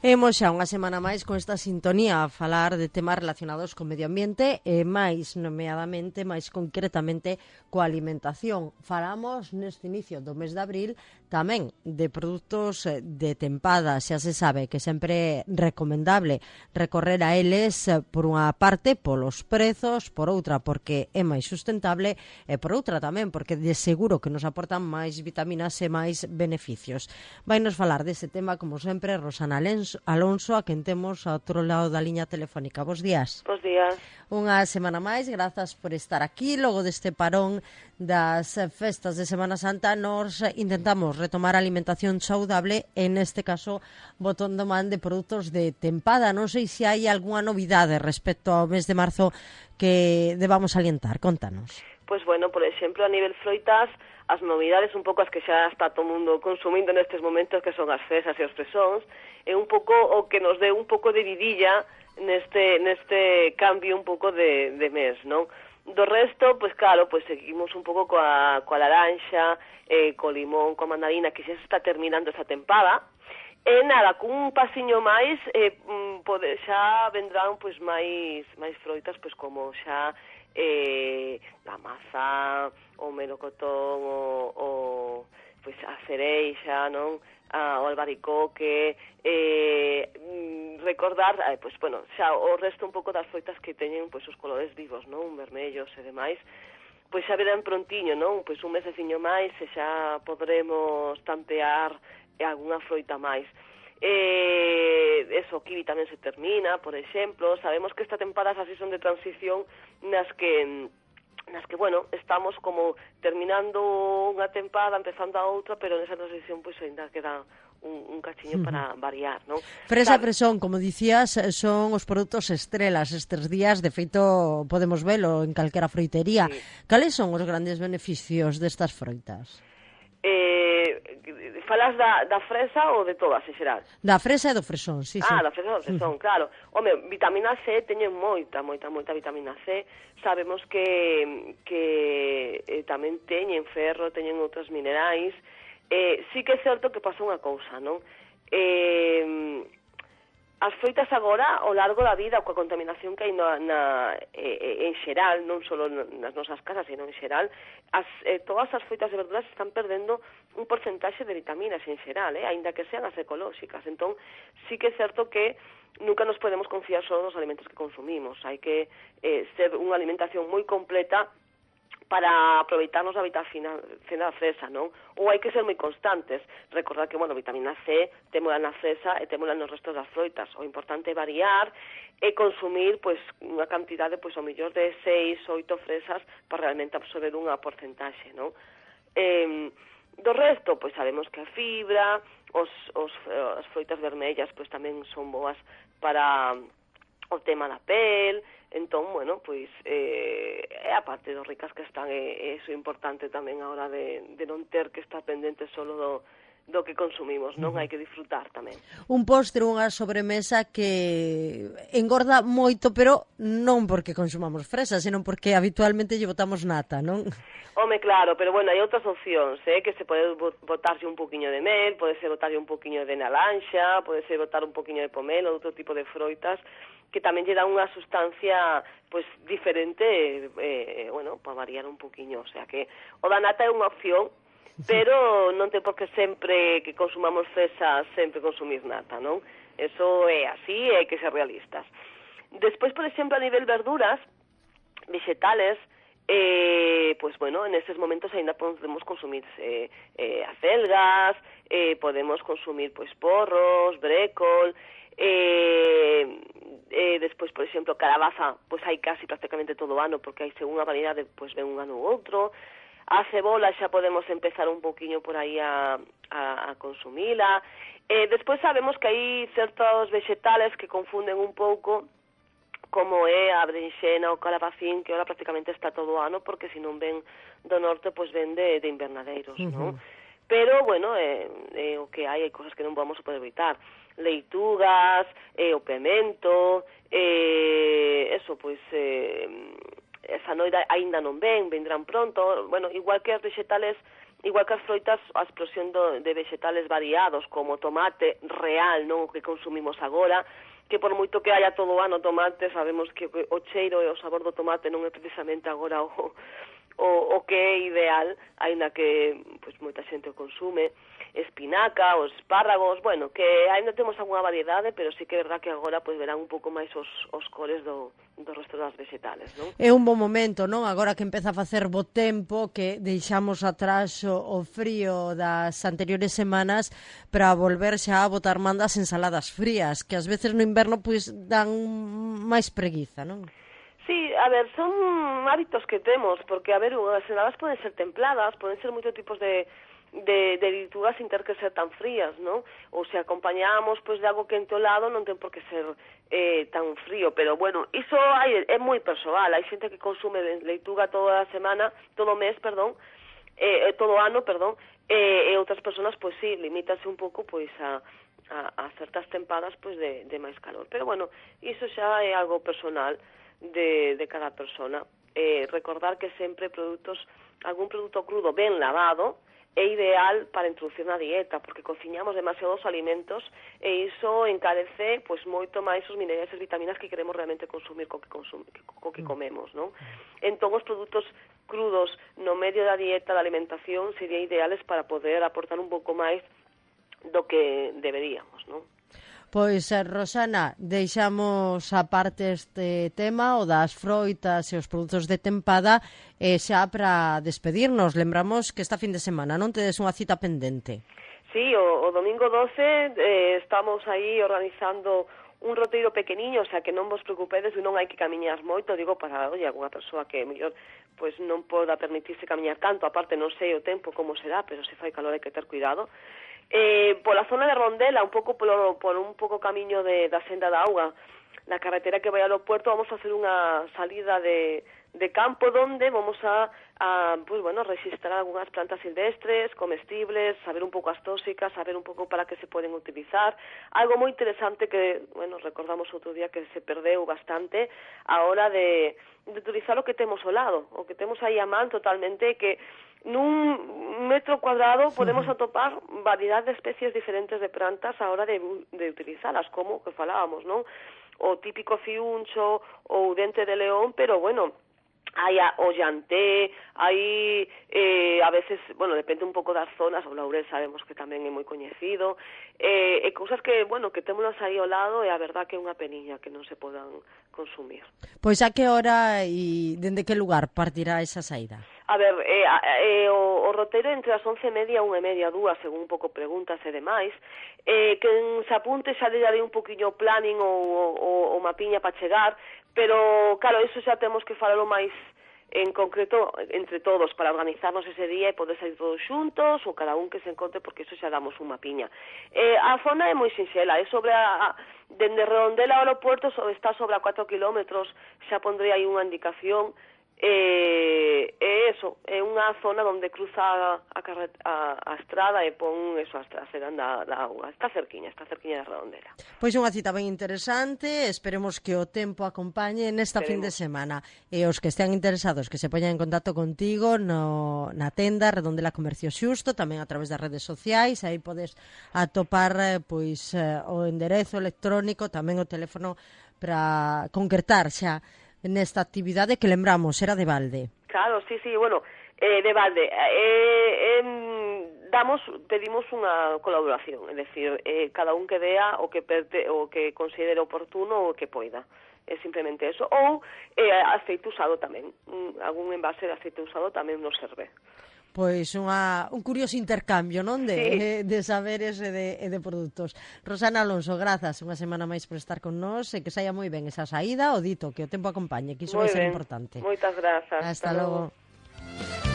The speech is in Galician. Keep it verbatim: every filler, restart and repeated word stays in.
Hemos xa unha semana máis con esta sintonía a falar de temas relacionados co medio ambiente e máis nomeadamente, máis concretamente coa alimentación. Falamos neste inicio do mes de abril tamén de produtos de tempada. Xa se sabe que sempre é recomendable recorrer a eles por unha parte polos prezos, por outra porque é máis sustentable e por outra tamén porque de seguro que nos aportan máis vitaminas e máis beneficios. Vai nos falar dese tema como sempre Rosana Lenz Alonso, a quen temos ao outro lado da liña telefónica. Bos días. Bos días. Unha semana máis, grazas por estar aquí. Logo deste parón das festas de Semana Santa, nos intentamos retomar a alimentación saudable, e neste caso botando man de produtos de tempada. Non sei se hai algunha novidade respecto ao mes de marzo que debamos alientar. Contanos. Pois bueno, por exemplo, a nivel froitas, as novidades un pouco as que xa está todo o mundo consumindo nestes momentos, que son as fresas e os fresóns, é un pouco o que nos deu un pouco de vidilla neste neste cambio un pouco de, de mes, non? Do resto, pois claro, pois seguimos un pouco coa, coa laranxa, eh, co limón, coa mandarina, que xa se está terminando esa tempada, e nada, cun pasiño máis, eh, pode, xa vendrán pois máis máis froitas, pois como xa eh, a maza, o melocotón, o, o pois a cereixa, non? A, o albaricoque, eh, recordar, eh, pois, bueno, xa o resto un pouco das froitas que teñen pois os colores vivos, non? Vermellos e demais, pois xa verán prontiño, non? Pois un meseciño máis e xa podremos tantear algunha froita máis. Eh, eso, o kiwi tamén se termina, por exemplo. Sabemos que esta tempada así son de transición nas que nas que, bueno, estamos como terminando unha tempada, empezando a outra, pero nesa transición pois ainda queda un, un cachiño uh-huh. para variar, non? Fresa e fresón, como dicías, son os produtos estrelas estes días, de feito podemos velo en calquera froitería. Sí. Cales son os grandes beneficios destas froitas? Eh, falas da, da fresa ou de todas, en xeral? Da fresa e do fresón, sí, sí. Ah, da fresa e do fresón, uh-huh. claro. Home, vitamina C, teñen moita, moita, moita vitamina C. Sabemos que, que eh, tamén teñen ferro, teñen outros minerais. Eh, sí que é certo que pasa unha cousa, non? Eh, as froitas agora, ao largo da vida, coa contaminación que hai na, na, eh, en xeral, non só nas nosas casas, sino en xeral, as, eh, todas as froitas e verduras están perdendo un porcentaxe de vitaminas en xeral, eh, aínda que sean as ecolóxicas. Entón, sí que é certo que nunca nos podemos confiar só nos alimentos que consumimos. Hai que eh, ser unha alimentación moi completa para aproveitarnos da vitamina C na fresa, non? Ou hai que ser moi constantes. Recordar que, bueno, vitamina C témola na fresa e témola nos restos das froitas. O importante é variar e consumir, pois, unha cantidade, pois, ao mellor de seis, oito fresas para realmente absorber unha porcentaxe, non? Eh, do resto, pois, sabemos que a fibra, os, os, as froitas vermellas, pois, tamén son boas para o tema da pel. Entón, bueno, pois, eh, é a parte dos ricas que están, e iso é importante tamén a hora de, de non ter que estar pendente solo do, do que consumimos, non? Uh-huh. Hai que disfrutar tamén. Un postre, unha sobremesa que engorda moito, pero non porque consumamos fresa, senón porque habitualmente lle botamos nata, non? Home, claro, pero bueno, hai outras opcións, eh, que se pode botarse un poquinho de mel, pode ser botarse un poquinho de naranxa, pode ser botar un poquinho de pomelo, outro tipo de froitas, que tamén lle dá unha sustancia pois diferente, eh, bueno, para variar un poquinho, o sea que o da nata é unha opción, pero non ten por que sempre que consumamos fresa sempre consumir nata, non? Eso é así e hai que ser realistas. Despois, por exemplo, a nivel verduras, vegetales, eh, pois bueno, en estes momentos ainda podemos consumir eh, eh, acelgas, eh, podemos consumir pois porros, brécol, eh, eh, despois, por exemplo, calabaza, pois hai casi prácticamente todo o ano, porque hai según a variedade, pois ven un ano ou outro. A cebola xa podemos empezar un poquinho por aí a, a, a consumila. Eh, despois sabemos que hai certos vegetales que confunden un pouco, como é a brinxena ou calabacín, que ahora prácticamente está todo o ano, porque se non ven do norte, pois ven de, de invernadeiros, uh-huh. non? Pero, bueno, eh, eh, o que hai, hai cosas que non vamos a poder evitar. Leitugas, eh, o pemento, eh, eso, pois, eh, esa noida aínda non ven, vendrán pronto. Bueno, igual que as vegetales igual que as froitas, a explosión do, de vegetales variados, como tomate real, non o que consumimos agora, que por moito que haya todo o ano tomate, sabemos que o cheiro e o sabor do tomate non é precisamente agora o, o, o que é ideal, aínda que pois, moita xente o consume, espinaca, os espárragos, bueno, que ainda temos algunha variedade, pero sí que é verdad que agora pois, verán un pouco máis os, os cores do, do resto das vegetales, non? É un bon momento, non? Agora que empeza a facer bo tempo, que deixamos atrás o, o frío das anteriores semanas para volver xa a botar man das ensaladas frías, que ás veces no inverno pois dan máis preguiza, non? Sí, a ver, son hábitos que temos, porque, a ver, as ensaladas poden ser templadas, poden ser moitos tipos de de, de leitugas sin ter que ser tan frías, non? Ou se acompañamos pois, de algo quente ao lado, non ten por que ser eh, tan frío, pero bueno, iso hai, é moi persoal, hai xente que consume leituga toda a semana, todo o mes, perdón, eh, todo o ano, perdón, eh, e outras persoas, pois sí, limítase un pouco pois a, a, a certas tempadas pois de, de máis calor, pero bueno, iso xa é algo personal de, de cada persona. Eh, recordar que sempre produtos, algún produto crudo ben lavado, é ideal para introducir na dieta, porque cociñamos demasiados alimentos e iso encarece pois moito máis os minerais e as vitaminas que queremos realmente consumir co que, consum co que comemos, non? Entón, os produtos crudos no medio da dieta, da alimentación, serían ideales para poder aportar un pouco máis do que deberíamos, non? Pois, Rosana, deixamos a parte este tema, o das froitas e os produtos de tempada, e xa para despedirnos. Lembramos que esta fin de semana non tedes unha cita pendente. Sí, o, o domingo doce eh, estamos aí organizando un roteiro pequeniño, o sea que non vos preocupedes, non hai que camiñar moito, digo, para, oi, alguna persoa que mellor pois non poda permitirse camiñar tanto, aparte non sei o tempo como será, pero se fai calor hai que ter cuidado. Eh, pola zona de Rondela, un pouco polo, por un pouco camiño de, da senda da auga, na carretera que vai ao aeropuerto, vamos a hacer unha salida de, de campo donde vamos a, a pues, bueno, registrar algunhas plantas silvestres, comestibles, saber un pouco as tóxicas, saber un pouco para que se poden utilizar. Algo moi interesante que, bueno, recordamos outro día que se perdeu bastante a hora de, de utilizar o que temos ao lado, o que temos aí a man totalmente, que nun metro cuadrado podemos atopar variedade de especies diferentes de plantas a hora de, de utilizalas, como que falábamos, non? O típico fiuncho ou dente de león, pero bueno, hai a, o llanté, hai eh, a veces, bueno, depende un pouco das zonas, o laurel sabemos que tamén é moi coñecido, eh, e cousas que, bueno, que témolas aí ao lado, e a verdad que é unha peniña que non se podan consumir. Pois a que hora e dende que lugar partirá esa saída? A ver, eh, eh, o, o roteiro entre as once e media, unha e media, dúas, según un pouco preguntas e demais. Eh, quen se apunte xa le darei un poquinho planning ou, ou, ou mapiña para chegar, pero, claro, iso xa temos que falalo máis en concreto entre todos para organizarnos ese día e poder sair todos xuntos ou cada un que se encontre, porque iso xa damos unha mapiña. Eh, a zona é moi sinxela, é sobre a, a dende Redondela ao aeropuerto, está sobre a cuatro kilómetros, xa pondrei aí unha indicación. É eh, eso, é unha zona onde cruza a, a, a estrada e pon eso, a estrada da, da auga. Está cerquiña, está cerquiña da Redondela. Pois unha cita ben interesante, esperemos que o tempo acompañe nesta fin de semana. E os que estean interesados que se poñan en contacto contigo no, na tenda Redondela Comercio Xusto, tamén a través das redes sociais, aí podes atopar pois o enderezo electrónico, tamén o teléfono para concretar xa nesta actividade que lembramos, era de balde. Claro, sí, sí, bueno, eh, de balde. Eh, eh, damos, pedimos unha colaboración, é dicir, eh, cada un que dea o que perte, o que considere oportuno o que poida. É simplemente eso. Ou eh, aceite usado tamén. Mm, algún envase de aceite usado tamén nos serve. Pois unha, un curioso intercambio, non? De, sí. de saberes e de, e de produtos. Rosana Alonso, grazas unha semana máis por estar con nós e que saia moi ben esa saída, o dito, que o tempo acompañe, que iso vai ser importante. Moitas grazas. Hasta, Hasta logo. logo.